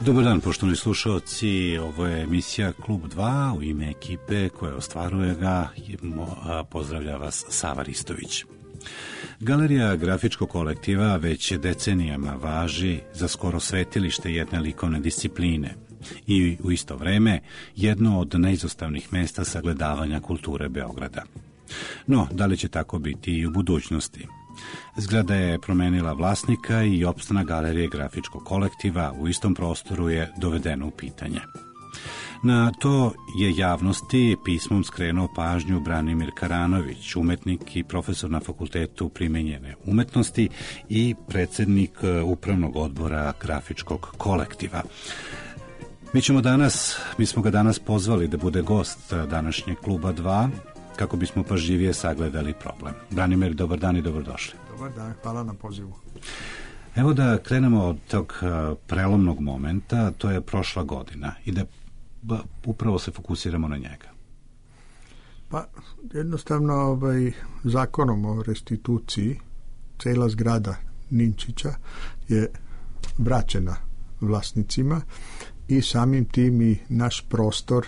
Dobar dan, poštovani slušalci, ovo je emisija Klub 2, u ime ekipe koja ostvaruje ga, pozdravlja vas Sava Ristović. Galerija grafičkog kolektiva već decenijama važi za skoro svetilište jedne likovne discipline i u isto vreme jedno od neizostavnih mesta sagledavanja kulture Beograda. No, da li će tako biti i u budućnosti? Zgrada je promenila vlasnika i opstanak galerije grafičkog kolektiva u istom prostoru je dovedeno u pitanje. Na to je javnosti pismom skrenuo pažnju Branimir Karanović, umetnik i profesor na Fakultetu primenjene umetnosti i predsjednik upravnog odbora grafičkog kolektiva. Mi smo ga danas pozvali da bude gost današnjeg Kluba 2, kako bismo pažljivije sagledali problem. Branimir, dobar dan i dobrodošli. Dobar dan, hvala na pozivu. Evo da krenemo od tog prelomnog momenta, to je prošla godina i da upravo se fokusiramo na njega. Pa jednostavno zakonom o restituciji cela zgrada Ninčića je vraćena vlasnicima i samim tim i naš prostor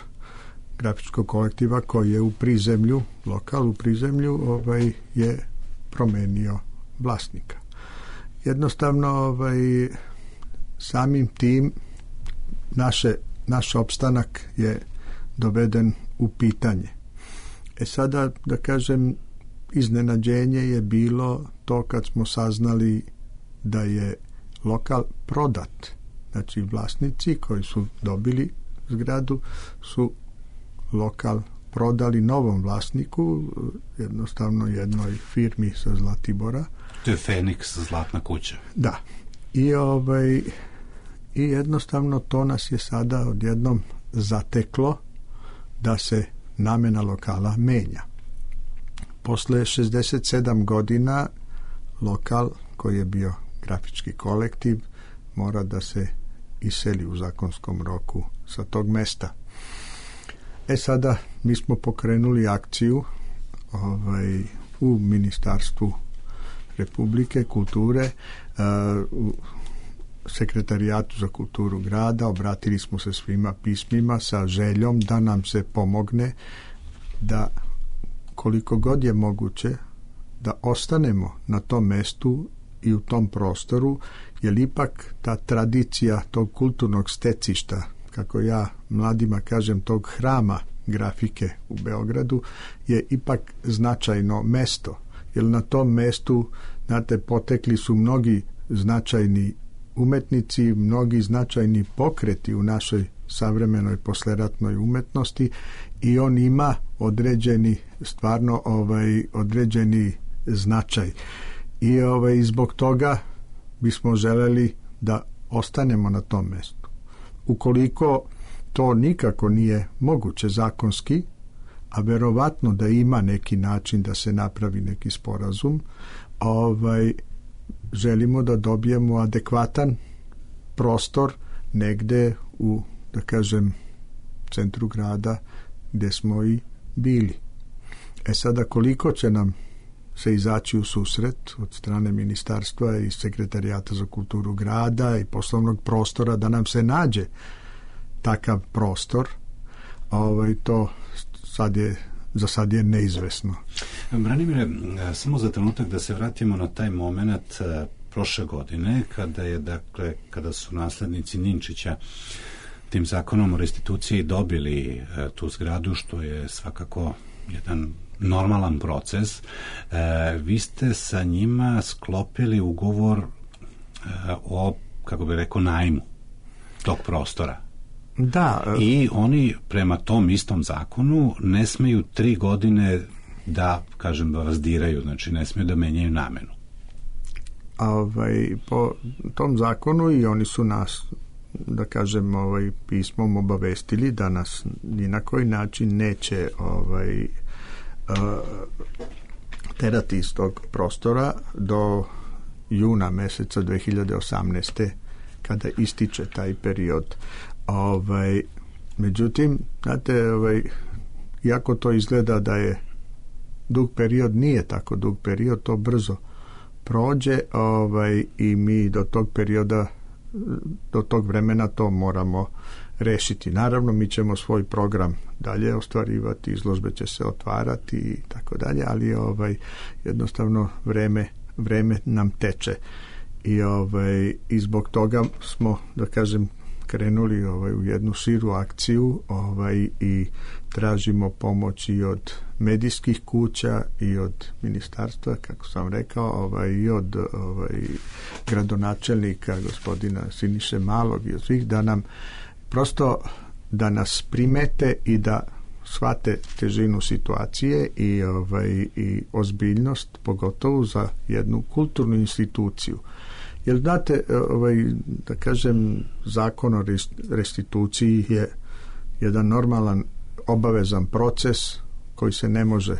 grafičkog kolektiva koji je u prizemlju, lokal u prizemlju, je promenio vlasnika. Jednostavno samim tim naš opstanak je doveden u pitanje. Sada, da kažem, iznenađenje je bilo to kad smo saznali da je lokal prodat. Znači, vlasnici koji su dobili zgradu su lokal prodali novom vlasniku, jednostavno jednoj firmi sa Zlatibora. To je Feniks, Zlatna kuća. Da. I jednostavno to nas je sada odjednom zateklo da se namena lokala menja. Posle 67 godina lokal koji je bio grafički kolektiv mora da se iseli u zakonskom roku sa tog mesta. Sada mi smo pokrenuli akciju u Ministarstvu Republike kulture, u Sekretarijatu za kulturu grada, obratili smo se svima pismima sa željom da nam se pomogne da koliko god je moguće da ostanemo na tom mestu i u tom prostoru, jer ipak ta tradicija tog kulturnog stecišta, kako ja mladima kažem, tog hrama grafike u Beogradu, je ipak značajno mesto, jer na tom mestu, znate, potekli su mnogi značajni umetnici, mnogi značajni pokreti u našoj savremenoj posleratnoj umetnosti i on ima određeni značaj. I zbog toga bismo želeli da ostanemo na tom mestu. Ukoliko to nikako nije moguće zakonski, a verovatno da ima neki način da se napravi neki sporazum, želimo da dobijemo adekvatan prostor negde u, da kažem, centru grada gde smo i bili. Sada koliko će nam se izaći u susret od strane ministarstva i Sekretarijata za kulturu grada i poslovnog prostora da nam se nađe takav prostor, to za sad je neizvesno. Branimire, samo za trenutak da se vratimo na taj moment prošle godine kada su naslednici Ninčića tim zakonom o restituciji dobili tu zgradu, što je svakako jedan normalan proces. Vi ste sa njima sklopili ugovor o, kako bi rekao, najmu tog prostora. Da. I oni prema tom istom zakonu ne smeju 3 godine da, kažem, vas diraju, znači ne smeju da menjaju namenu. Po tom zakonu i oni su nas, da kažem, pismom obavestili da nas ni na koji način neće terati iz tog prostora do juna meseca 2018. kada ističe taj period. Međutim, znate, iako to izgleda da je dug period, nije tako dug period, to brzo prođe i mi do tog perioda do tog vremena to moramo rešiti. Naravno, mi ćemo svoj program dalje ostvarivati, izložbe će se otvarati i tako dalje, ali jednostavno vreme nam teče i zbog toga smo, da kažem, krenuli u jednu širu akciju i tražimo pomoć i od medijskih kuća i od ministarstva, kako sam rekao, i od gradonačelnika gospodina Siniše Malog i od svih, da nam prosto da nas primete i da shvate težinu situacije i ozbiljnost, pogotovo za jednu kulturnu instituciju. Jer znate, da kažem, zakon o restituciji je jedan normalan, obavezan proces koji se ne može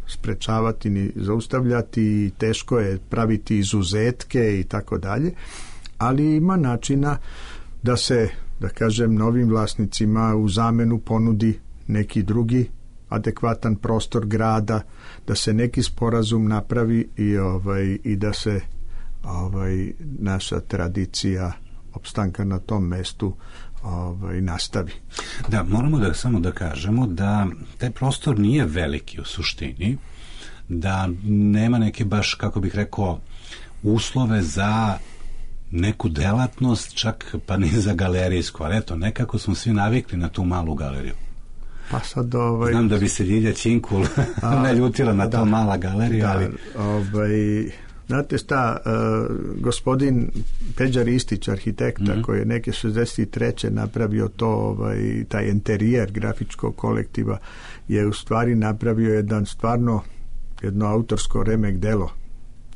sprečavati ni zaustavljati i teško je praviti izuzetke i tako dalje, ali ima načina da se, da kažem, novim vlasnicima u zamenu ponudi neki drugi adekvatan prostor grada, da se neki sporazum napravi i da se naša tradicija opstanka na tom mestu nastavi. Da, moramo samo da kažemo da taj prostor nije veliki u suštini, da nema neke baš, kako bih rekao, uslove za neku delatnost, čak pa ni za galerijsku, ali eto, nekako smo svi navikli na tu malu galeriju. Pa sad, znam da bi se Ljilja Činkul ne ljutila na to mala galerija, ali... Znate šta, gospodin Peđa Ristić, arhitekta, koji je neke 63. napravio to, taj interijer grafičkog kolektiva, je u stvari napravio jedno autorsko remek delo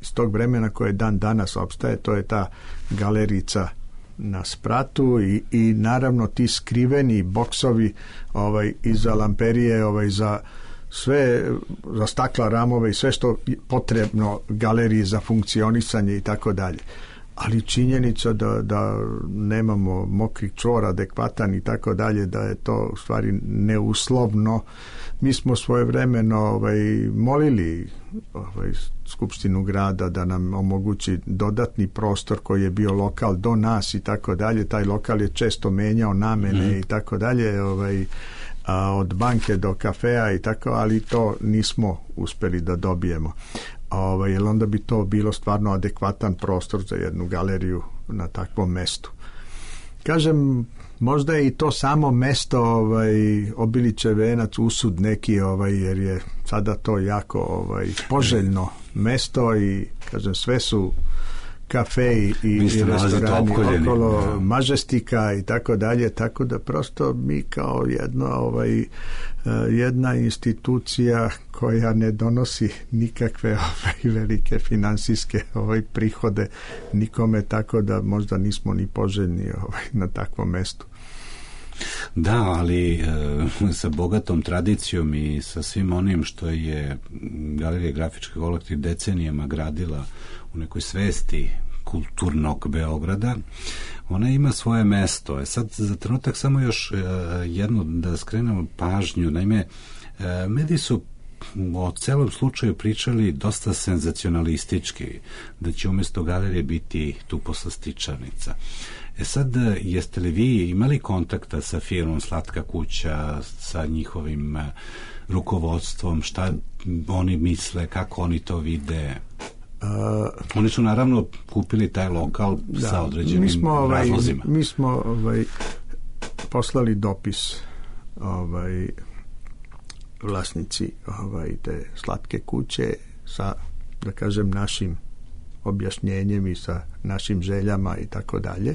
iz tog vremena koje dan danas opstaje. To je ta galerica na Spratu i naravno ti skriveni boksovi iza lamperije, za sve, za stakla, ramove i sve što je potrebno galeriji za funkcionisanje i tako dalje. Ali činjenica da nemamo mokri čvor adekvatan i tako dalje, da je to u stvari neuslovno. Mi smo svojevremeno molili Skupštinu grada da nam omogući dodatni prostor koji je bio lokal do nas i tako dalje. Taj lokal je često menjao namene i tako dalje, od banke do kafea i tako, ali to nismo uspeli da dobijemo. Jer onda bi to bilo stvarno adekvatan prostor za jednu galeriju na takvom mestu. Kažem, možda je i to samo mesto Obilićev venac, usud neki, jer je sada to jako poželjno mesto i kažem, sve su kafe i restorani okolo, Mažestika i tako dalje, tako da prosto mi kao jedna institucija koja ne donosi nikakve velike finansijske prihode nikome, tako da možda nismo ni poželjni na takvom mestu. Da, ali sa bogatom tradicijom i sa svim onim što je Galerija grafičkih kolektiv decenijama gradila u nekoj svesti kulturnog Beograda, ona ima svoje mesto. Sad za trenutak samo još jedno da skrenemo pažnju. Naime, mediji su o celom slučaju pričali dosta senzacionalistički, da će umjesto galerije biti tu poslastičarnica. Sad, jeste li vi imali kontakta sa firmom Slatka kuća, sa njihovim rukovodstvom, šta oni misle, kako oni to vide? Oni su naravno kupili taj lokal sa određenim razlozima. Mi smo poslali dopis vlasnici te Slatke kuće sa, da kažem, našim objašnjenjem i sa našim željama i tako dalje.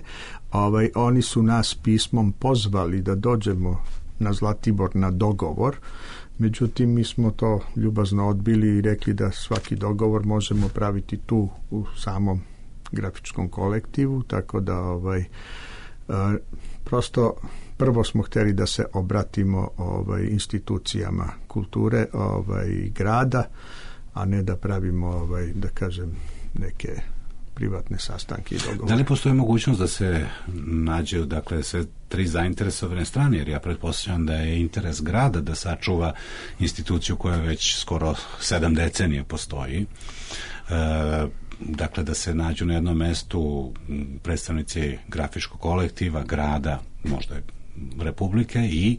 Oni su nas pismom pozvali da dođemo na Zlatibor na dogovor. Međutim, mi smo to ljubazno odbili i rekli da svaki dogovor možemo praviti tu u samom grafičkom kolektivu, tako da prosto prvo smo htjeli da se obratimo institucijama kulture grada, a ne da pravimo da kažem neke privatne sastanke i dogovore. Da li postoji mogućnost da se nađe, dakle, sve tri zainteresovane strane, jer ja pretpostavljam da je interes grada da sačuva instituciju koja već skoro 7 decenija postoji. dakle da se nađu na jednom mestu predstavnici grafičkog kolektiva, grada, možda Republike i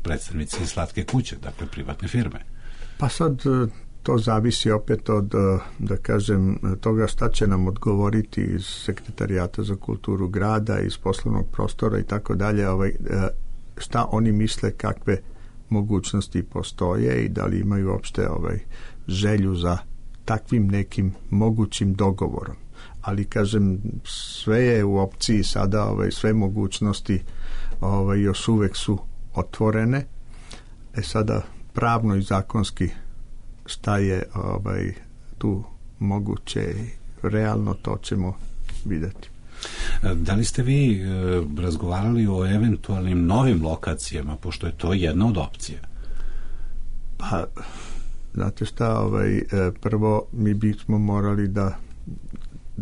predstavnici Slatke kuće, dakle privatne firme. Pa sad to zavisi opet od, da kažem, toga šta će nam odgovoriti iz Sekretarijata za kulturu grada, iz poslovnog prostora i tako dalje, šta oni misle kakve mogućnosti postoje i da li imaju uopšte želju za takvim nekim mogućim dogovorom. Ali kažem, sve je u opciji sada, sve mogućnosti još uvek su otvorene. Sada pravno i zakonski šta je tu moguće i realno, to ćemo vidjeti. Da li ste vi razgovarali o eventualnim novim lokacijama, pošto je to jedna od opcija? Pa, znate šta, prvo mi bismo morali da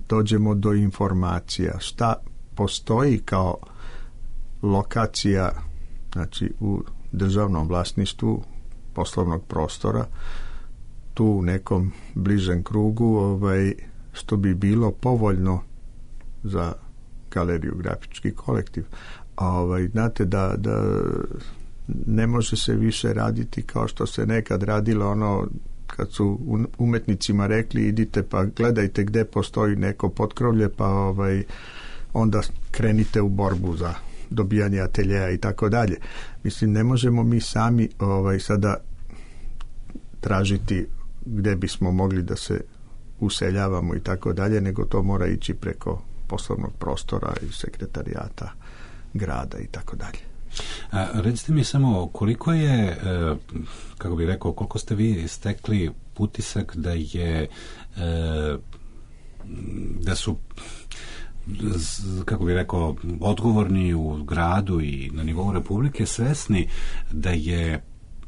dođemo do informacija šta postoji kao lokacija, znači u državnom vlasništvu poslovnog prostora, tu u nekom bližem krugu, što bi bilo povoljno za galeriju Grafički kolektiv. Znate da ne može se više raditi kao što se nekad radilo, kad su umetnicima rekli idite pa gledajte gde postoji neko potkrovlje, pa onda krenite u borbu za dobijanje ateljeja i tako dalje. Mislim, ne možemo mi sami sada tražiti gde bismo mogli da se useljavamo i tako dalje, nego to mora ići preko poslovnog prostora i sekretarijata grada i tako dalje. Recite mi samo koliko je, kako bih rekao, koliko ste vi stekli utisak da je da su, kako bih rekao, odgovorni u gradu i na nivou Republike svesni da je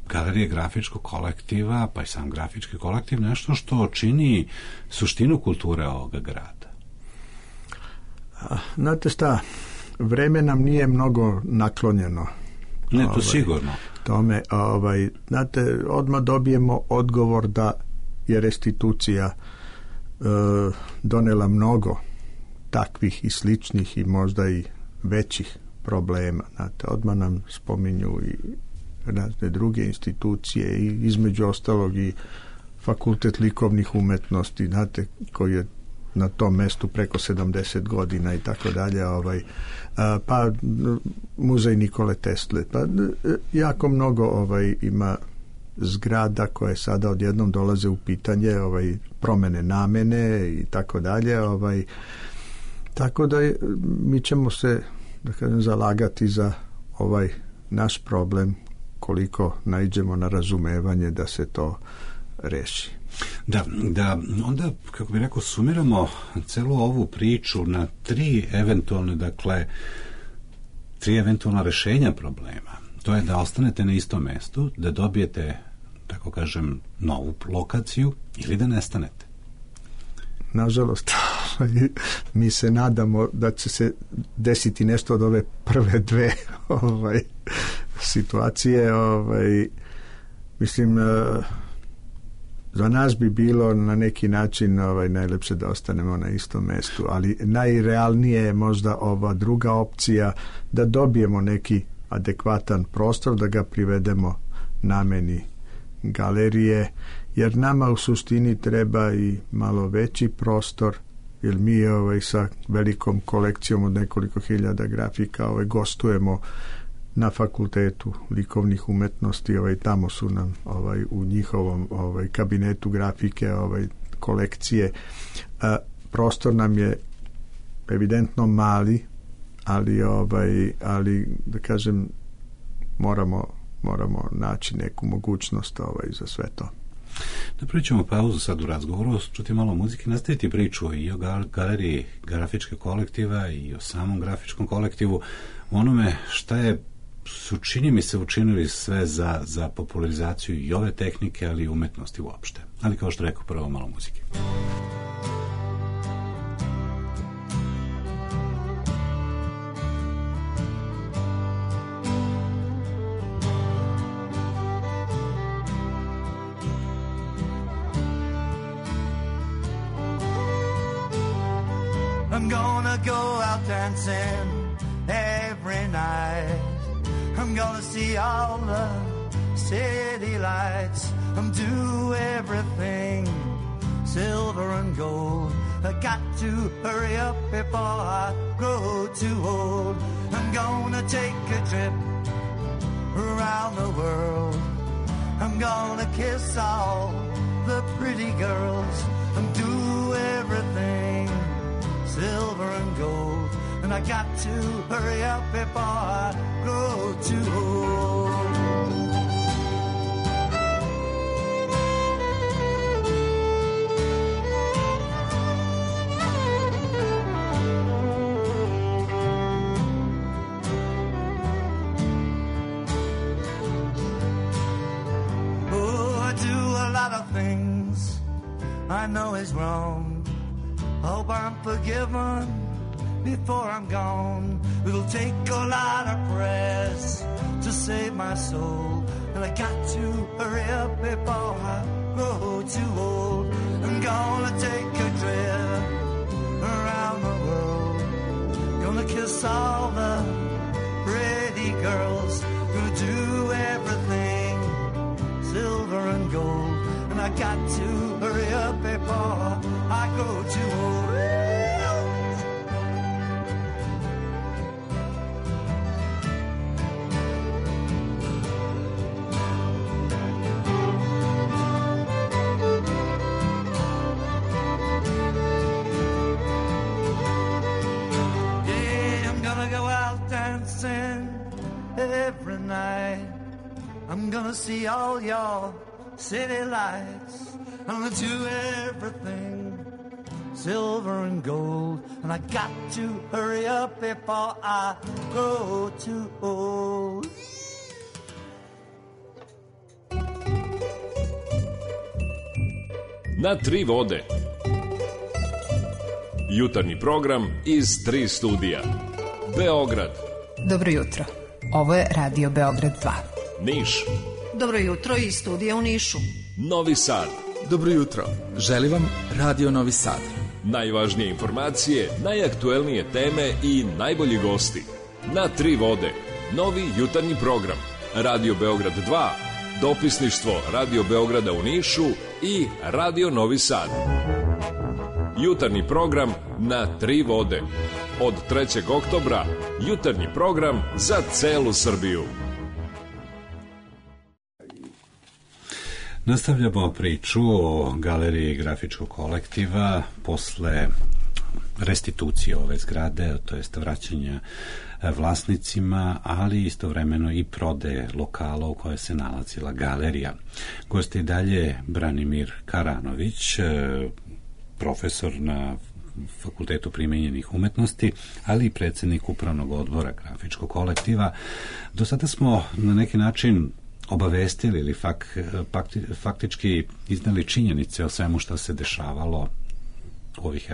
Galerija Grafičkog kolektiva, pa i sam Grafički kolektiv, nešto što čini suštinu kulture ovoga grada? Znate šta, vreme nam nije mnogo naklonjeno. Ne, to sigurno. Tome, znate, odmah dobijemo odgovor da je restitucija donela mnogo takvih i sličnih i možda i većih problema. Znate, odmah nam spominju i razne druge institucije i između ostalog i Fakultet likovnih umetnosti, znate, koji je na tom mestu preko 70 godina i tako dalje, pa muzej Nikole Tesle, pa jako mnogo ima zgrada koje sada odjednom dolaze u pitanje, promene namene i tako dalje, tako da mi ćemo se, da kažem, zalagati za ovaj naš problem koliko naiđemo na razumevanje da se to reši. Da onda, kako bih rekao, sumiramo celu ovu priču na tri eventualna rešenja problema. To je da ostanete na istom mestu, da dobijete, tako kažem, novu lokaciju ili da nestanete. Nažalost, mi se nadamo da će se desiti nešto od ove prve dve situacije. Mislim, za nas bi bilo na neki način najlepše da ostanemo na istom mestu, ali najrealnije je možda ova druga opcija, da dobijemo neki adekvatan prostor, da ga privedemo nameni galerije, jer nama u suštini treba i malo veći prostor, jer mi sa velikom kolekcijom od nekoliko hiljada grafika gostujemo na Fakultetu likovnih umetnosti, tamo su nam u njihovom kabinetu grafike kolekcije. Prostor nam je evidentno mali, ali da kažem, moramo naći neku mogućnost za sve to. Napravit ćemo pauzu sad u razgovoru, čuti malo muzike, nastaviti priču i o galeriji Grafičkog kolektiva i o samom Grafičkom kolektivu, onome šta su, čini mi se, učinili sve za popularizaciju i ove tehnike, ali i umetnosti uopšte. Ali kao što rekao, prvo malo muzike. I'm gonna go out dancing every night. I'm gonna see all the city lights. I'm do everything silver and gold. I got to hurry up before I grow too old. I'm gonna take a trip around the world. I'm gonna kiss all the pretty girls and do everything silver and gold. And I got to hurry up before I grow too old. Things I know is wrong. Hope I'm forgiven before I'm gone. It'll take a lot of prayers to save my soul, and I got to hurry up before I grow too old. I'm gonna take a trip around the world. Gonna kiss all the pretty girls who do everything silver and gold. And I got to hurry up before I grow too old. Yeah, I'm gonna go out dancing every night. I'm gonna see all y'all city lights. I'm gonna do everything silver and gold. And I got to hurry up before I grow too old. Na tri vode. Jutarnji program iz 3 studija. Beograd. Dobro jutro. Ovo je Radio Beograd 2. Niš. Dobro jutro iz studija u Nišu. Novi Sad. Dobro jutro. Želim vam Radio Novi Sad. Najvažnije informacije, najaktuelnije teme i najbolji gosti. Na tri vode. Novi jutarnji program. Radio Beograd 2. Dopisništvo Radio Beograda u Nišu i Radio Novi Sad. Jutarnji program na tri vode. Od 3. oktobra jutarnji program za celu Srbiju. Nastavljamo priču o galeriji grafičkog kolektiva posle restitucije ove zgrade, to jest vraćanja vlasnicima, ali istovremeno i prodaje lokala u kojoj se nalazila galerija. Gost je dalje Branimir Karanović, profesor na Fakultetu primenjenih umetnosti, ali i predsjednik upravnog odbora grafičkog kolektiva. Do sada smo na neki način obavestili ili faktički iznali činjenice o svemu što se dešavalo ovih,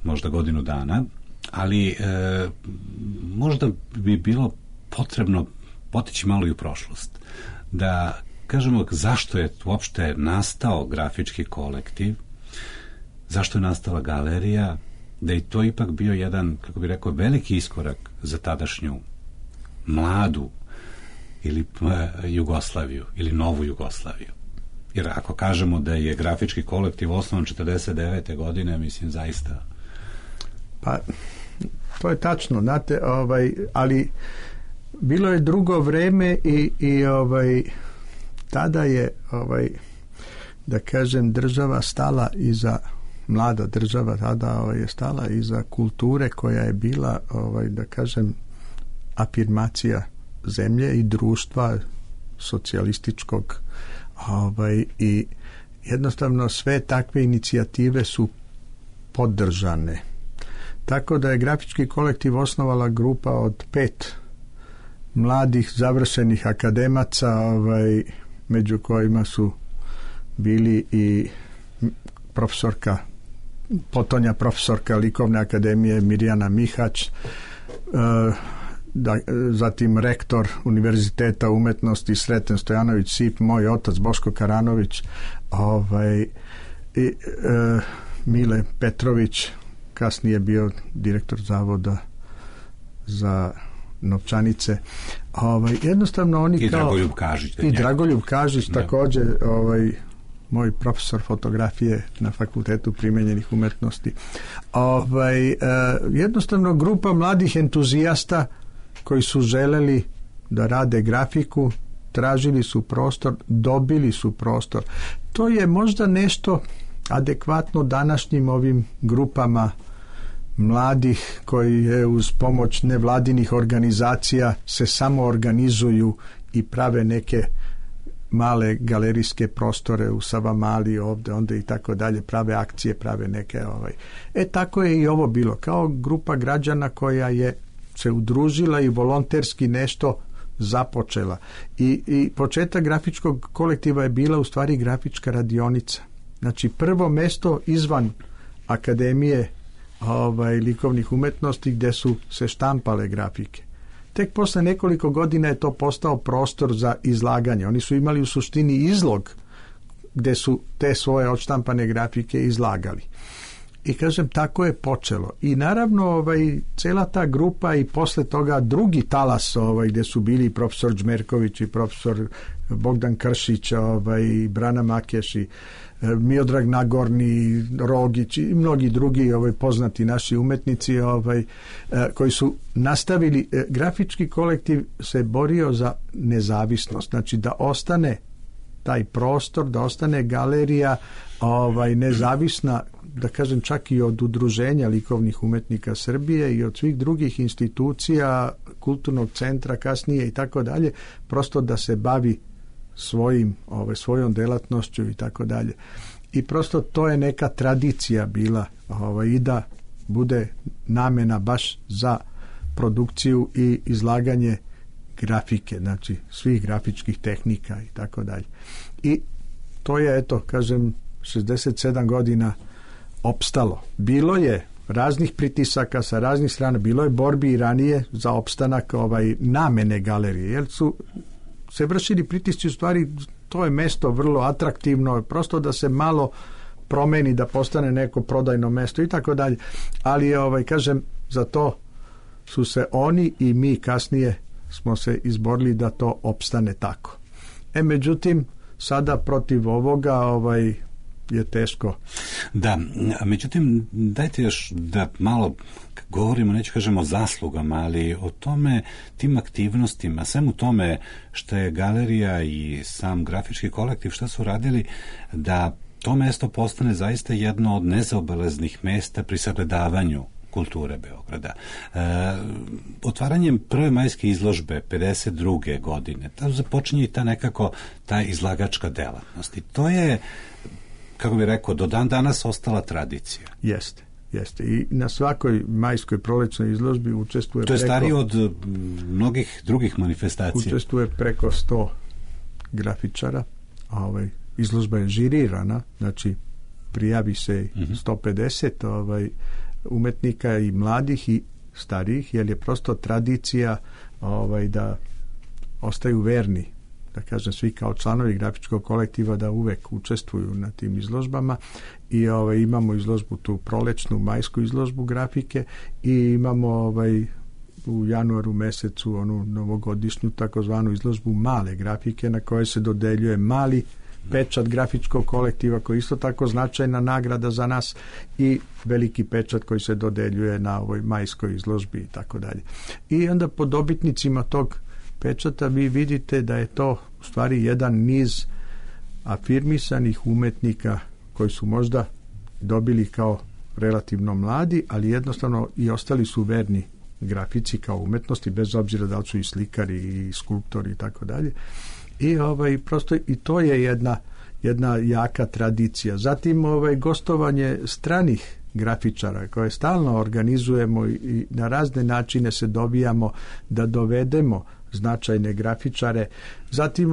možda godinu dana, ali možda bi bilo potrebno potići malo i u prošlost. Da kažemo zašto je uopšte nastao grafički kolektiv, zašto je nastala galerija, da je to ipak bio jedan, kako bi rekao, veliki iskorak za tadašnju mladu ili Jugoslaviju, ili novu Jugoslaviju. Jer ako kažemo da je grafički kolektiv osnovan 49. godine, mislim, zaista... Pa, to je tačno, znate, ali bilo je drugo vreme i tada je, da kažem, država stala iza, mlada država tada je stala iza kulture koja je bila, da kažem, afirmacija zemlje i društva socijalističkog, i jednostavno sve takve inicijative su podržane. Tako da je grafički kolektiv osnovala grupa od 5 mladih završenih akademaca, među kojima su bili i potonja profesorka Likovne akademije Mirjana Mihać, zatim rektor Univerziteta umetnosti Sreten Stojanović Sip, moj otac Boško Karanović, i Mile Petrović, kasnije bio direktor zavoda za novčanice. Jednostavno oni i kao... Dragoljub Kažić. I Dragoljub Kažić, također moj profesor fotografije na Fakultetu primenjenih umetnosti. Jednostavno grupa mladih entuzijasta koji su želeli da rade grafiku, tražili su prostor, dobili su prostor. To je možda nešto adekvatno današnjim ovim grupama mladih koji je uz pomoć nevladinih organizacija se samo organizuju i prave neke male galerijske prostore u Savamali ovdje, onda i tako dalje, prave akcije, prave neke tako je i ovo bilo, kao grupa građana koja je se udružila i volonterski nešto započela. I početak grafičkog kolektiva je bila u stvari grafička radionica. Znači prvo mesto izvan Akademije likovnih umetnosti gdje su se štampale grafike. Tek posle nekoliko godina je to postao prostor za izlaganje. Oni su imali u suštini izlog gdje su te svoje odštampane grafike izlagali. I kažem, tako je počelo. I naravno cela ta grupa i posle toga drugi talas gdje su bili profesor Đmerković i profesor Bogdan Kršić, Brana Makeš i Miodrag Nagorni, Rogić i mnogi drugi poznati naši umetnici koji su nastavili. Grafički kolektiv se borio za nezavisnost, znači da ostane taj prostor, da ostane galerija nezavisna, da kažem čak i od udruženja likovnih umetnika Srbije i od svih drugih institucija, kulturnog centra kasnije i tako dalje, prosto da se bavi svojom delatnošću i tako dalje. I prosto to je neka tradicija bila i da bude namena baš za produkciju i izlaganje grafike, znači svih grafičkih tehnika i tako dalje. I to je, eto, kažem, 67 godina opstalo. Bilo je raznih pritisaka sa raznih strana, bilo je borbi i ranije za opstanak namene galerije, jer su se vršili pritisci, u stvari to je mesto vrlo atraktivno, prosto da se malo promeni, da postane neko prodajno mesto i tako dalje. Ali kažem, za to su se oni i mi kasnije smo se izborili da to opstane tako. Međutim, sada protiv ovoga je teško. Da, međutim, dajte još da malo govorimo, neću kažemo o zaslugama, ali o tome, tim aktivnostima, svemu tome što je galerija i sam grafički kolektiv, što su radili da to mesto postane zaista jedno od nezaobilaznih mesta pri sagledavanju kulture Beograda. Otvaranjem prve majske izložbe 52. godine, tamo započinje i ta izlagačka delatnost. I to je, kako bih rekao, do dan danas ostala tradicija. Jeste. I na svakoj majskoj prolećnoj izložbi učestvuje to je starije od mnogih drugih manifestacija. Učestvuje preko 100 grafičara. Izložba je žirirana, znači prijavi se 150 umetnika i mladih i starijih, jer je prosto tradicija da ostaju verni, da kažem, svi kao članovi grafičkog kolektiva da uvek učestvuju na tim izložbama. I imamo izložbu tu prolećnu, majsku izložbu grafike i imamo u januaru mesecu onu novogodišnju takozvanu izložbu male grafike na kojoj se dodeljuje mali pečat grafičkog kolektiva koji je isto tako značajna nagrada za nas i veliki pečat koji se dodeljuje na ovoj majskoj izložbi i tako dalje. I onda po dobitnicima tog pečata vi vidite da je to u stvari jedan niz afirmisanih umetnika koji su možda dobili kao relativno mladi, ali jednostavno i ostali su verni grafici kao umetnosti, bez obzira da li su i slikari i skulptori i tako dalje. I prosto i to je jedna jaka tradicija. Zatim gostovanje stranih grafičara koje stalno organizujemo i na razne načine se dobijamo da dovedemo značajne grafičare. Zatim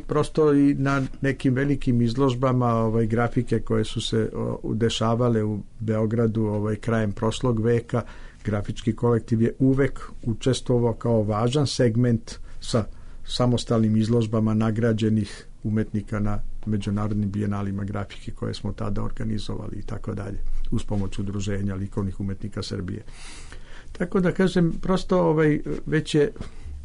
prosto i na nekim velikim izložbama grafike koje su se dešavale u Beogradu krajem prošlog veka. Grafički kolektiv je uvek učestvovao kao važan segment sa samostalnim izložbama nagrađenih umetnika na međunarodnim bijenalima grafike koje smo tada organizovali i tako dalje, uz pomoć Udruženja likovnih umetnika Srbije. Tako da kažem, prosto već je,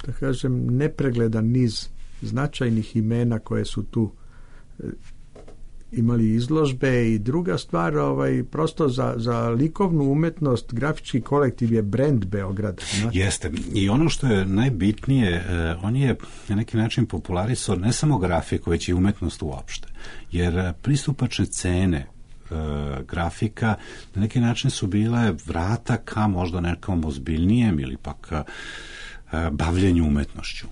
da kažem, nepregledan niz značajnih imena koje su tu imali izložbe. I druga stvar, prosto za likovnu umetnost grafički kolektiv je brend Beograda. Znači. Jeste. I ono što je najbitnije, on je na neki način popularisao ne samo grafiku, već i umetnost uopšte. Jer pristupačne cene grafika na neki način su bile vrata ka možda nekom ozbiljnijem ili pak bavljenju umetnošću.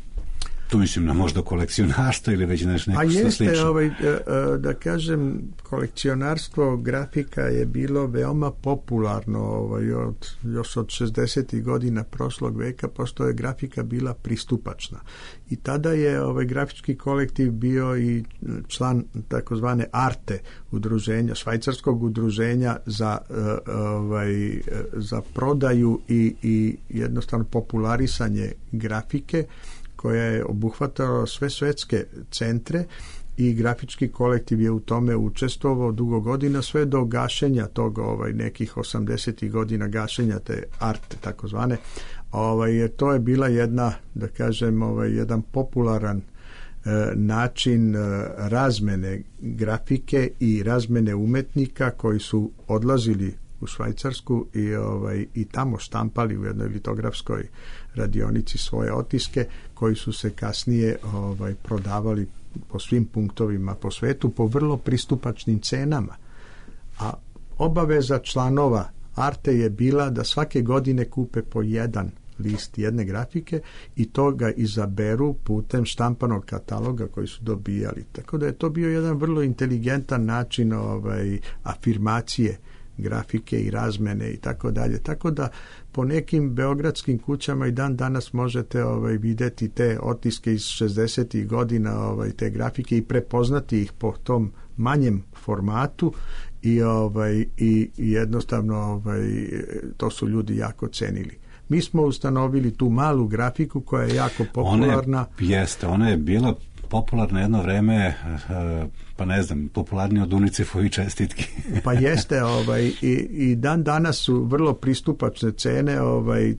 Tu mislim na možda kolekcionarstvo ili već nešto slično. Da kažem, kolekcionarstvo grafika je bilo veoma popularno još od 60. godina prošlog veka, pošto je grafika bila pristupačna. I tada je grafički kolektiv bio i član takozvane Arte udruženja, švajcarskog udruženja za prodaju i jednostavno popularisanje grafike, koja je obuhvatala sve svetske centre, i grafički kolektiv je u tome učestvovao dugo godina, sve do gašenja tog nekih 80. godina, gašenja te Arte takozvane. To je bila jedna, da kažem, jedan popularan način razmene grafike i razmene umetnika koji su odlazili u Švajcarsku i tamo štampali u jednoj litografskoj radionici svoje otiske, koji su se kasnije prodavali po svim punktovima po svetu po vrlo pristupačnim cenama. A obaveza članova Arte je bila da svake godine kupe po jedan list jedne grafike i to ga izaberu putem štampanog kataloga koji su dobijali. Tako da je to bio jedan vrlo inteligentan način afirmacije grafike i razmene i tako dalje. Tako da po nekim beogradskim kućama i dan danas možete vidjeti te otiske iz 60. godina te grafike i prepoznati ih po tom manjem formatu i jednostavno to su ljudi jako cenili. Mi smo ustanovili tu malu grafiku koja je jako popularna. Ona je bila popularno jedno vreme, pa ne znam, popularnije od UNICEF-ovi čestitki. Pa jeste, i dan danas su vrlo pristupačne cene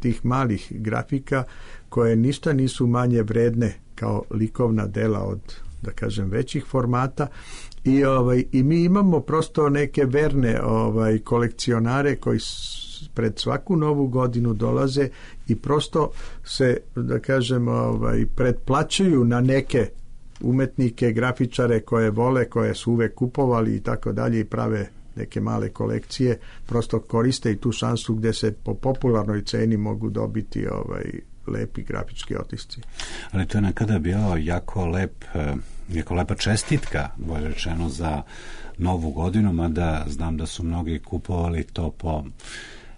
tih malih grafika, koje ništa nisu manje vredne kao likovna dela od, da kažem, većih formata. I mi imamo prosto neke verne kolekcionare koji pred svaku novu godinu dolaze i prosto se, da kažem, pretplaćuju na neke umetnike, grafičare koje vole, koje su uvek kupovali i tako dalje i prave neke male kolekcije, prosto koriste i tu šansu gde se po popularnoj ceni mogu dobiti lepi grafički otisci. Ali to je nekada bio jako lepa čestitka, bolje rečeno, za novu godinu, mada znam da su mnogi kupovali to po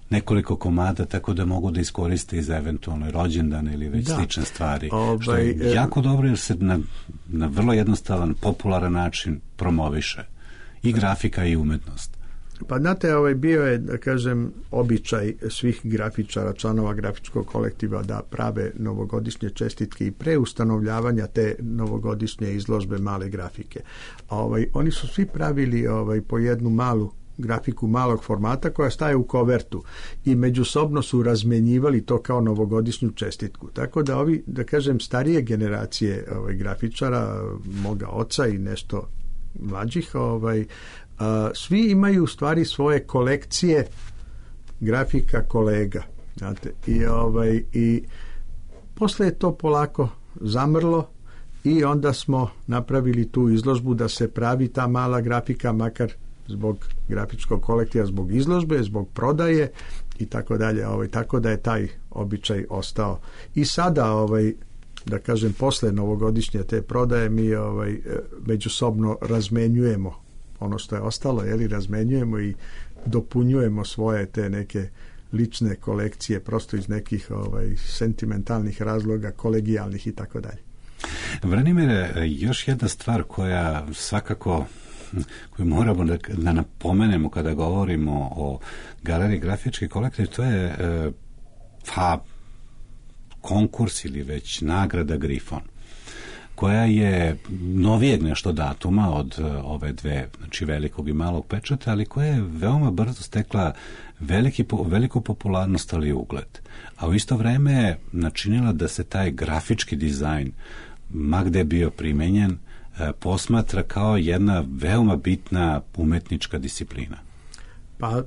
nekoliko komada, tako da mogu da iskoriste i za eventualno rođendan ili već slične stvari. Što je jako dobro, jer se na vrlo jednostavan, popularan način promoviše i grafika i umetnost. Pa znate, bio je, da kažem, običaj svih grafičara, članova grafičkog kolektiva da prave novogodišnje čestitke i pre ustanovljavanja te novogodišnje izložbe male grafike. Oni su svi pravili po jednu malu grafiku malog formata koja staje u kovertu i međusobno su razmenjivali to kao novogodišnju čestitku. Tako da ovi, da kažem, starije generacije grafičara, moga oca i nešto mlađih, svi imaju u stvari svoje kolekcije grafika kolega. Znate, i posle je to polako zamrlo i onda smo napravili tu izložbu da se pravi ta mala grafika, makar zbog grafičkog kolektiva, zbog izložbe, zbog prodaje i tako dalje. Tako da je taj običaj ostao. I sada, da kažem, posle novogodišnje te prodaje mi međusobno razmenjujemo ono što je ostalo, razmenjujemo i dopunjujemo svoje te neke lične kolekcije prosto iz nekih sentimentalnih razloga, kolegijalnih i tako dalje. Branimire, još jedna stvar koja svakako koju moramo da napomenemo kada govorimo o galeriji grafički kolektiv, to je konkurs ili već nagrada Grifon. koja je novijeg nešto datuma od ove dve, znači velikog i malog pečata, ali koja je veoma brzo stekla veliku popularnost, ali i ugled. A u isto vreme je načinila da se taj grafički dizajn, ma gde bio primenjen, posmatra kao jedna veoma bitna umetnička disciplina. Pa,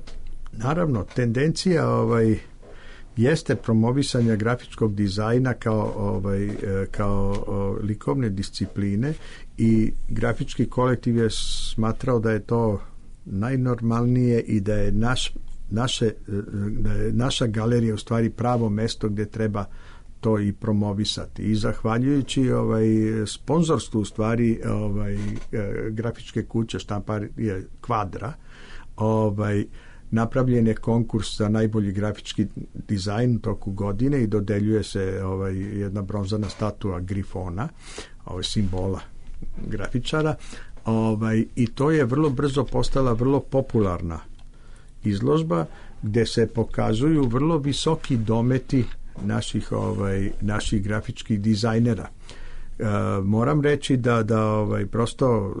naravno, tendencija jeste promovisanja grafičkog dizajna kao likovne discipline i grafički kolektiv je smatrao da je to najnormalnije i da je naša galerija u stvari pravo mesto gdje treba to i promovisati. I zahvaljujući sponzorstvu u stvari grafičke kuće Štamparije Kvadra, napravljen je konkurs za najbolji grafički dizajn u toku godine i dodeljuje se jedna bronzana statua Grifona, simbola grafičara, i to je vrlo brzo postala vrlo popularna izložba gdje se pokazuju vrlo visoki dometi naših grafičkih dizajnera. Moram reći da prosto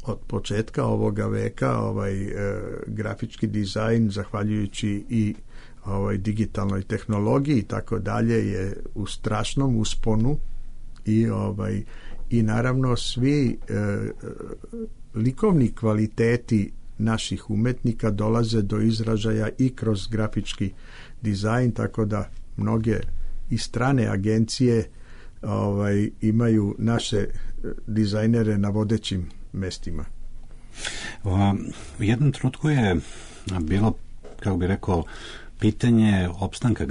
od početka ovoga veka grafički dizajn, zahvaljujući i digitalnoj tehnologiji i tako dalje, je u strašnom usponu i naravno svi likovni kvaliteti naših umetnika dolaze do izražaja i kroz grafički dizajn, tako da mnoge i strane agencije imaju naše dizajnere na vodećim mestima. U jednom trenutku je bilo, kako bi rekao, pitanje opstanka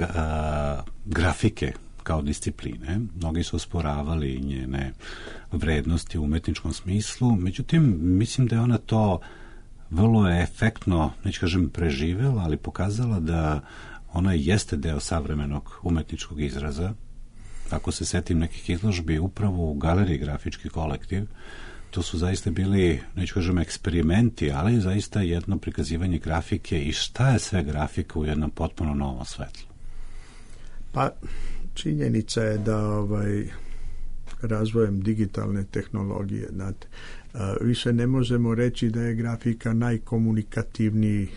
grafike kao discipline. Mnogi su osporavali njene vrednosti u umetničkom smislu, međutim, mislim da je ona to vrlo efektno, neću kažem preživela, ali pokazala da ona jeste deo savremenog umetničkog izraza. Ako se setim nekih izložbi upravo u galeriji Grafički kolektiv, to su zaista bili, neću kažem eksperimenti, ali zaista jedno prikazivanje grafike i šta je sve grafika u jednom potpuno novom svetlu. Pa, činjenica je da razvojem digitalne tehnologije, znate, više ne možemo reći da je grafika najkomunikativniji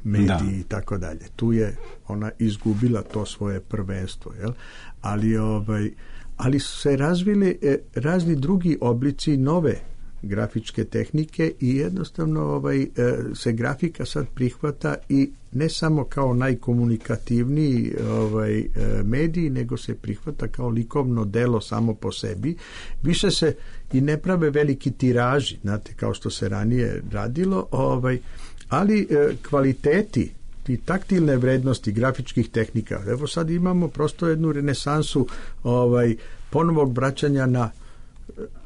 medij i tako dalje. Tu je ona izgubila to svoje prvenstvo, jel? Ali su se razvili razni drugi oblici nove grafičke tehnike i jednostavno se grafika sad prihvata i ne samo kao najkomunikativniji medij, nego se prihvata kao likovno delo samo po sebi. Više se i ne prave veliki tiraži, znate, kao što se ranije radilo, ali kvaliteti i taktilne vrednosti grafičkih tehnika. Evo sad imamo prosto jednu renesansu ponovog vraćanja na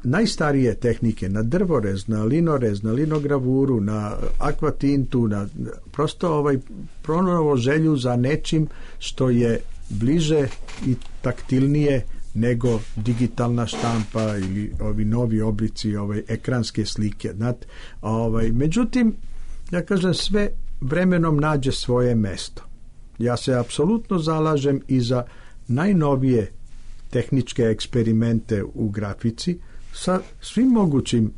najstarije tehnike, na drvorez, na linorez, na linogravuru, na akvatintu, na prosto pronovo želju za nečim što je bliže i taktilnije nego digitalna štampa ili ovi novi oblici ekranske slike. Međutim, ja kažem, sve vremenom nađe svoje mesto. Ja se apsolutno zalažem i za najnovije tehničke eksperimente u grafici sa svim mogućim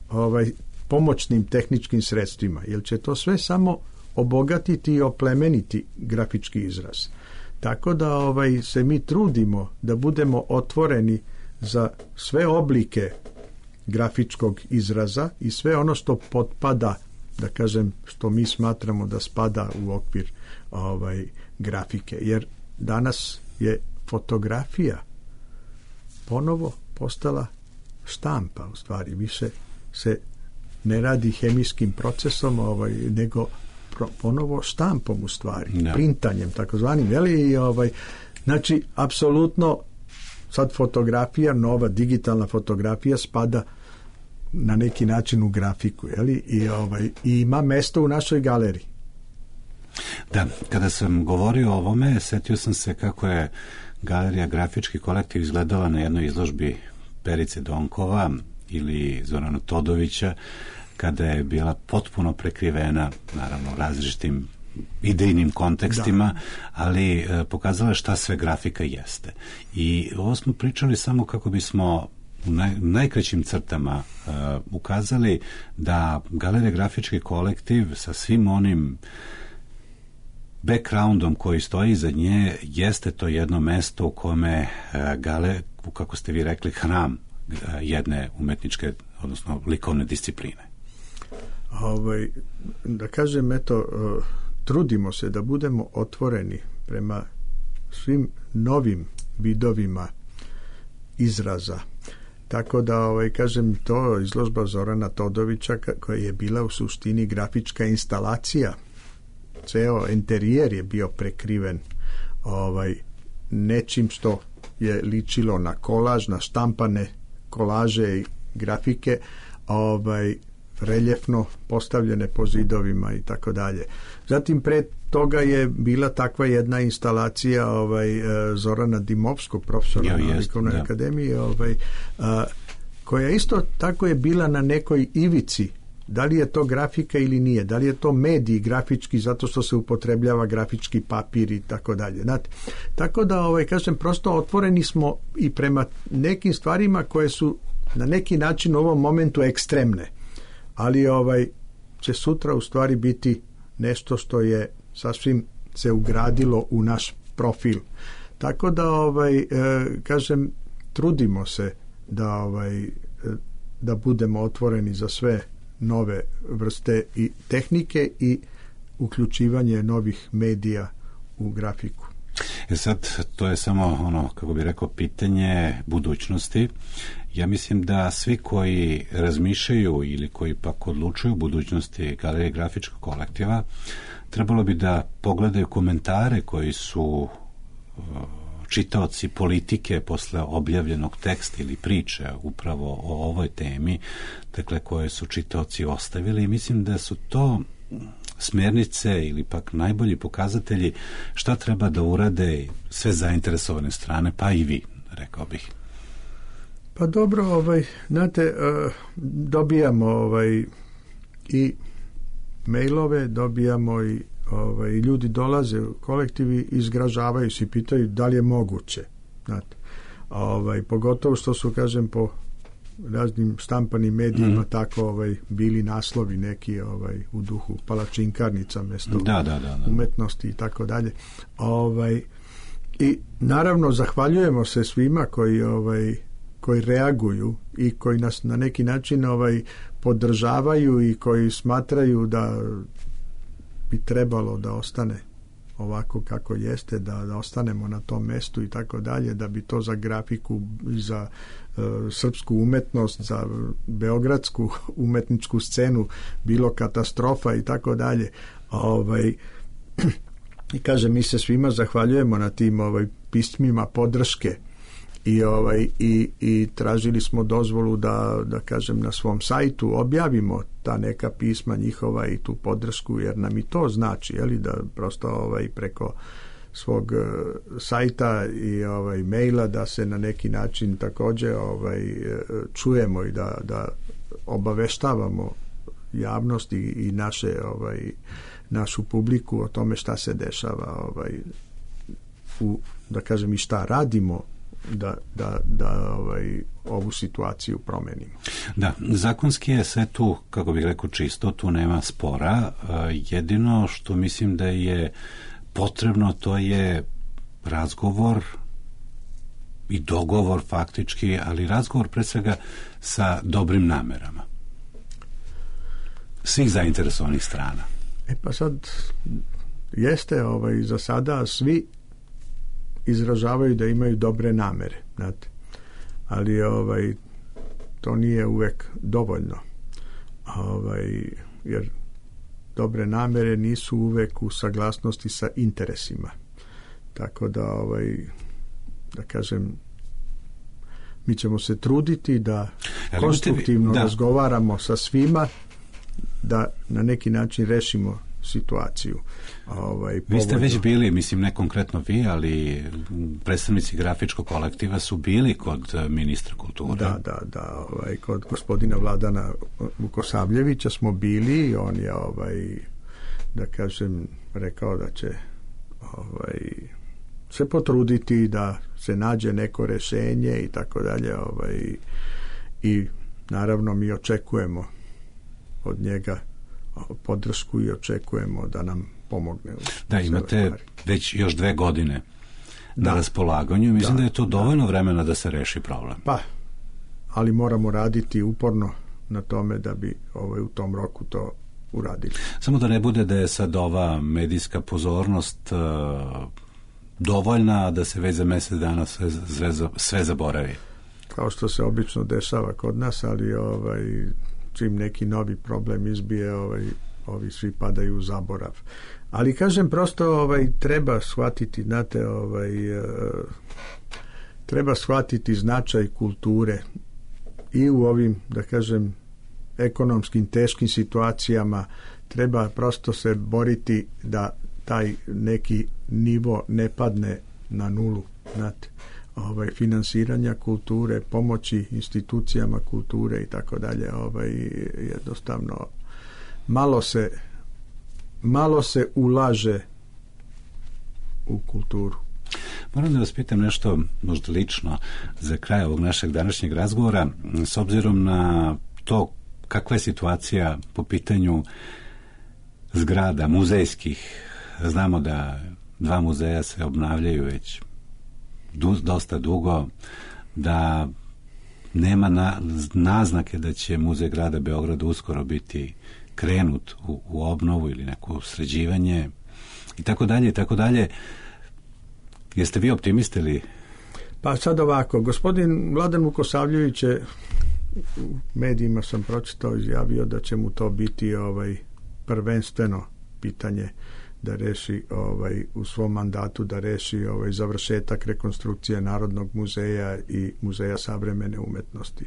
pomoćnim tehničkim sredstvima, jer će to sve samo obogatiti i oplemeniti grafički izraz. Tako da se mi trudimo da budemo otvoreni za sve oblike grafičkog izraza i sve ono što potpada, da kažem, što mi smatramo da spada u okvir grafike, jer danas je fotografija ponovo postala štampa, u stvari više se ne radi hemijskim procesom, nego ponovo štampom, u stvari, printanjem takozvanim, znači apsolutno sad fotografija, nova digitalna fotografija spada na neki način u grafiku, i ima mesto u našoj galeriji. Da, kada sam govorio o ovome, setio sam se kako je galerija Grafički kolektiv izgledala na jednoj izložbi Perice Donkova ili Zorana Todovića, kada je bila potpuno prekrivena, naravno, različitim idejnim kontekstima, ali pokazala šta sve grafika jeste. I ovo smo pričali samo kako bismo u najkraćim crtama ukazali da Galerija Grafički kolektiv sa svim onim backgroundom koji stoji iza nje jeste to jedno mesto u kome kako ste vi rekli, hram jedne umetničke, odnosno likovne discipline. Da kažem, trudimo se da budemo otvoreni prema svim novim vidovima izraza. Tako da, kažem, to izložba Zorana Todovića koja je bila u suštini grafička instalacija. Ceo interijer je bio prekriven nečim što je ličilo na kolaž, na štampane kolaže i grafike, reljefno postavljene po zidovima i tako dalje. Zatim pre toga je bila takva jedna instalacija Zorana Dimovskog, profesora na Likovnoj akademiji, koja isto tako je bila na nekoj ivici. Da li je to grafika ili nije, da li je to medij grafički zato što se upotrebljava grafički papir i tako dalje. Tako da, kažem, prosto otvoreni smo i prema nekim stvarima koje su na neki način u ovom momentu ekstremne, ali će sutra u stvari biti nešto što je sasvim se ugradilo u naš profil. Tako da, kažem, trudimo se da budemo otvoreni za sve nove vrste i tehnike i uključivanje novih medija u grafiku. Sad, to je samo kako bi rekao, pitanje budućnosti. Ja mislim da svi koji razmišljaju ili koji pak odlučuju budućnosti Galerije Grafičkog kolektiva, trebalo bi da pogledaju komentare koji su čitaoci Politike posle objavljenog teksta ili priče upravo o ovoj temi, dakle koje su čitaoci ostavili, i mislim da su to smjernice ili pak najbolji pokazatelji šta treba da urade sve zainteresovane strane, pa i vi, rekao bih. Pa dobro, znate, dobijamo i mailove, dobijamo i ljudi dolaze u kolektivi, izgražavaju se i pitaju da li je moguće. Znate, pogotovo što su, kažem, po raznim štampanim medijima tako bili naslovi neki u duhu palačinkarnica mjesto umetnosti i tako dalje. I naravno zahvaljujemo se svima koji reaguju i koji nas na neki način podržavaju i koji smatraju da bi trebalo da ostane ovako kako jeste, da ostanemo na tom mestu i tako dalje, da bi to za grafiku i za srpsku umetnost, za beogradsku umetničku scenu bilo katastrofa i tako dalje. I kažem, mi se svima zahvaljujemo na tim pismima podrške i tražili smo dozvolu da kažem na svom sajtu objavimo ta neka pisma njihova i tu podršku, jer nam i to znači, da prosto preko svog sajta i maila da se na neki način također čujemo i da obaveštavamo javnost i našu publiku o tome šta se dešava da kažem i šta radimo da ovu situaciju promenimo. Da, zakonski je sve tu, kako bih rekao, čisto, tu nema spora. Jedino što mislim da je potrebno, to je razgovor i dogovor faktički, ali razgovor pre svega sa dobrim namerama svih zainteresovanih strana. Pa sad jeste za sada svi izražavaju da imaju dobre namere, znate. Ali to nije uvek dovoljno. Jer dobre namere nisu uvek u saglasnosti sa interesima. Tako da kažem, mi ćemo se truditi da konstruktivno razgovaramo sa svima, da na neki način rešimo situaciju. Vi ste već bili, mislim ne konkretno vi, ali predstavnici grafičkog kolektiva su bili kod ministra kulture. Da, kod gospodina Vladana Vukosavljevića smo bili i on je da kažem rekao da će se potruditi da se nađe neko rješenje i tako dalje. I naravno mi očekujemo od njega podršku i očekujemo da nam pomogne. Da, imate već još 2 godine na raspolaganju. Mislim da je to dovoljno vremena da se reši problem. Pa, ali moramo raditi uporno na tome da bi u tom roku to uradili. Samo da ne bude da je sad ova medijska pozornost dovoljna, da se već za mjesec dana sve zaboravi. Kao što se obično dešava kod nas, ali čim neki novi problem izbije, ovi svi padaju u zaborav. Ali kažem, prosto treba shvatiti, znate, treba shvatiti značaj kulture i u ovim, da kažem, ekonomskim teškim situacijama. Treba prosto se boriti da taj neki nivo ne padne na nulu, znate, finansiranja kulture, pomoći institucijama kulture i tako dalje. Jednostavno malo se ulaže u kulturu. Moram da vas pitam nešto možda lično za kraj ovog našeg današnjeg razgovora, s obzirom na to kakva je situacija po pitanju zgrada muzejskih. Znamo da 2 muzeja se obnavljaju već dosta dugo, da nema naznake da će Muzej grada Beograda uskoro biti krenut u obnovu ili neko sređivanje i tako dalje i tako dalje. Jeste vi optimist ili? Pa sad ovako, gospodin Vladan Vukosavljević je, u medijima sam pročitao, izjavio da će mu to biti prvenstveno pitanje da reši u svom mandatu, da reši završetak rekonstrukcije Narodnog muzeja i Muzeja savremene umetnosti.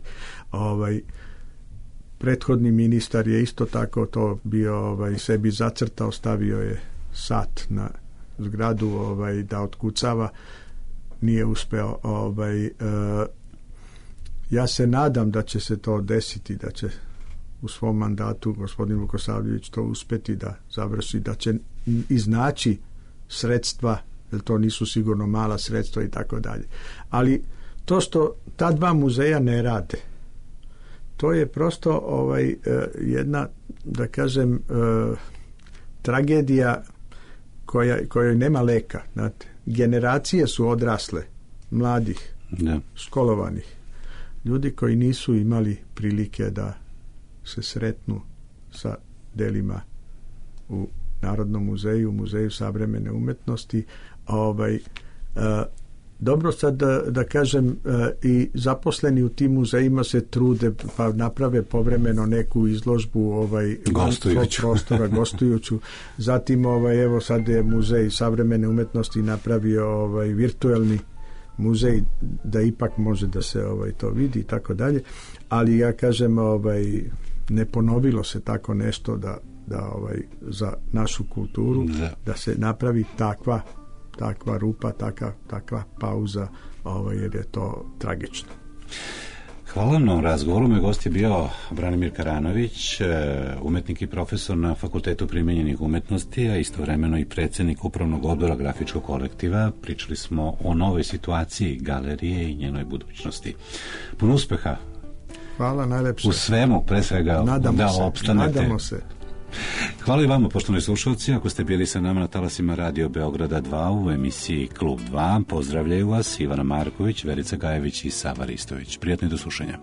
Prethodni ministar je isto tako to bio sebi zacrtao, stavio je sat na zgradu da otkucava, nije uspeo. Ja se nadam da će se to desiti, da će u svom mandatu gospodin Vukosavljević to uspeti da završi, da će iznaći sredstva, jer to nisu sigurno mala sredstva i tako dalje. Ali to što ta 2 muzeja ne rade, to je prosto jedna, da kažem, tragedija kojoj nema leka. Znate. Generacije su odrasle, mladih, školovanih, ljudi koji nisu imali prilike da se sretnu sa delima u Narodnom muzeju, Muzeju savremene umetnosti. Dobro sad da kažem, i zaposleni u tim muzejima se trude pa naprave povremeno neku izložbu prostora gostujuću. Zatim evo sad je Muzej savremene umetnosti napravio virtuelni muzej da ipak može da se to vidi i tako dalje. Ali ja kažem, ne ponovilo se tako nešto da za našu kulturu da se napravi takva rupa, takva pauza, jer je to tragično. Hvala vam na razgovoru. Moj gost je bio Branimir Karanović, umetnik i profesor na Fakultetu primenjenih umetnosti, a istovremeno i predsjednik Upravnog odbora grafičkog kolektiva. Pričali smo o novoj situaciji galerije i njenoj budućnosti. Puno uspeha. Hvala najlepše. U svemu, pre svega, da opstanete. Nadamo se. Hvala i vama, poštovani slušalci. Ako ste bili sa nama na talasima Radio Beograda 2 u emisiji Klub 2, pozdravljaju vas Ivana Marković, Verica Gajević i Sava Ristović. Prijatno i do slušanja.